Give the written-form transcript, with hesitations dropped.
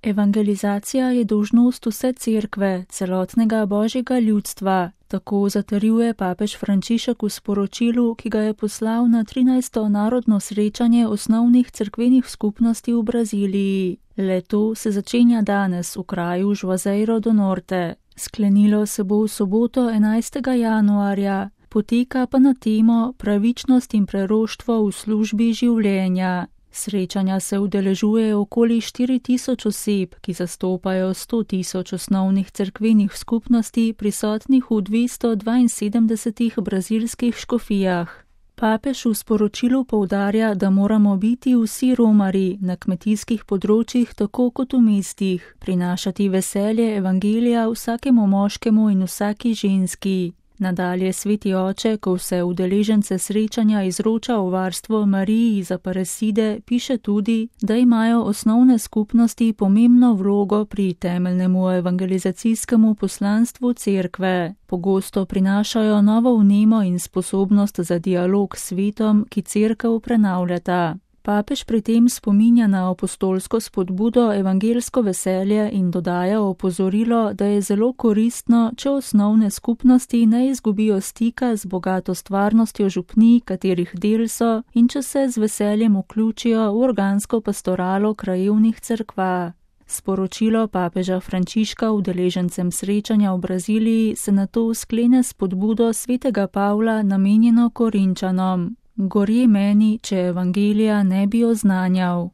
Evangelizacija je dolžnost vse cerkve, celotnega božjega ljudstva, tako zatrjuje papež Frančišek v sporočilu, ki ga je poslal na 13. narodno srečanje osnovnih cerkvenih skupnosti v Braziliji. Le-to se začenja danes v kraju Juazeiro do Norte. Sklenilo se bo v soboto 11. januarja, poteka pa na temo pravičnost in preroštvo v službi življenja. Srečanja se udeležuje okoli 4000 oseb, ki zastopajo 100.000 osnovnih cerkvenih skupnosti prisotnih v 272 brazilskih škofijah. Papež v sporočilu poudarja, da moramo biti vsi romarji na kmetijskih področjih tako kot v mestih, prinašati veselje evangelija vsakemu moškemu in vsaki ženski. Nadalje sveti oče, ko vse udeležence srečanja izroča v varstvo Mariji za Aparecide, piše tudi, da imajo osnovne skupnosti pomembno vlogo pri temeljnemu evangelizacijskemu poslanstvu cerkve. Pogosto prinašajo novo vnemo in sposobnost za dialog s svetom, ki cerkev prenavljata. Papež pri tem spominja na apostolsko spodbudo evangelsko veselje in dodaja opozorilo, da je zelo koristno, če osnovne skupnosti ne izgubijo stika z bogato stvarnostjo župnij, katerih del so, in če se z veseljem vključijo v organsko pastoralo krajevnih cerkva. Sporočilo papeža Frančiška udeležencem srečanja v Braziliji se nato sklene s spodbudo svetega Pavla namenjeno Korinčanom. Gorje meni, če evangelija ne bi oznanjal.